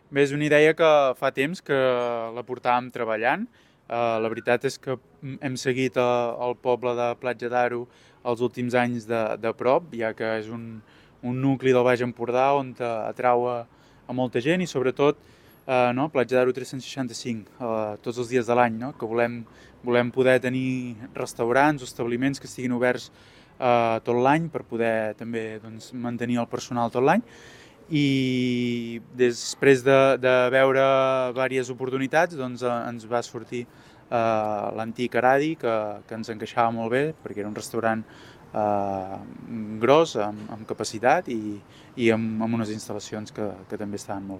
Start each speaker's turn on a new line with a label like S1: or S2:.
S1: Bé, és una idea que fa temps que la portàvem treballant. La veritat és que hem seguit el poble de Platja d'Aro els últims anys de prop, ja que és un nucli del Baix Empordà on atrau a molta gent i sobretot no, Platja d'Aro 365, tots els dies de l'any, no? Que volem poder tenir restaurants o establiments que estiguin oberts tot l'any per poder també doncs, mantenir el personal tot l'any i després de veure diverses oportunitats doncs, ens va sortir l'antic Aradi que ens encaixava molt bé perquè era un restaurant gros, amb capacitat i amb unes instal·lacions que també estaven molt bé.